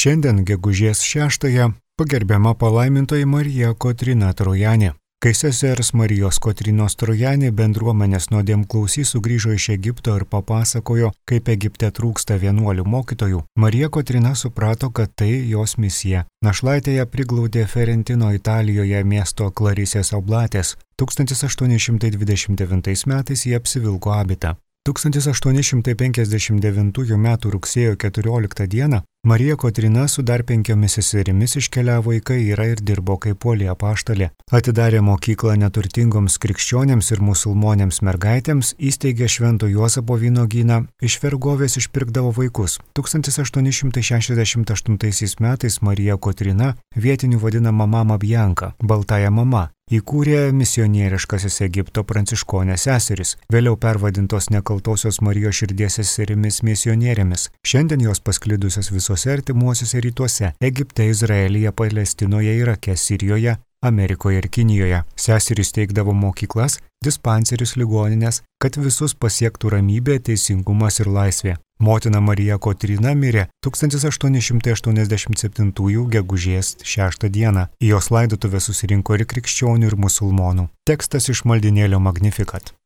Šiandien gegužės 6-ąją pagerbiama palaimintoji Marija Kotryna Trojanė. Kai sesers Marijos Kotrynos Trojanė bendruomenės nuodėmklausys sugrįžo iš Egipto ir papasakojo, kaip Egipte trūksta vienuolių mokytojų, Marija Kotryna suprato, kad tai jos misija. Našlaitė ją priglaudė Ferentino Italijoje miesto Klarisės oblatės. 1829 metais jie apsivilko abitą. 1859 m. rugsėjo 14 d. Marija Kotryna su dar 5 seserimis iškeliavo į Kairą ir dirbo kaip uoli apaštalė. Atidarė mokyklą neturtingoms krikščionėms ir musulmonėms mergaitėms, įsteigė Švento Juozapo vynuogyną, iš vergovės išpirkdavo vaikus. 1868 metais Marija Kotryna, vietinių vadinama Mama Bianka, Baltąja mama, įkūrė misionieriškasis Egipto pranciškonės seseris, vėliau pervadintos Nekaltosios Marijos širdies seserimis misionierėmis. Šiandien jos pasklidusios visose artimuosiuose rytuose – Egipte, Izraelyje, Palestinoje, Irake, Sirijoje, Amerikoje ir Kinijoje. Seserys teikdavo mokyklas, dispanserius, ligoninės, kad visus pasiektų ramybė, teisingumas ir laisvė. Motina Marija Kotryna mirė 1887 gegužės 6 d. Į jos laidotuvę susirinko ir krikščionių ir musulmonų. Tekstas iš maldynėlio Magnificat.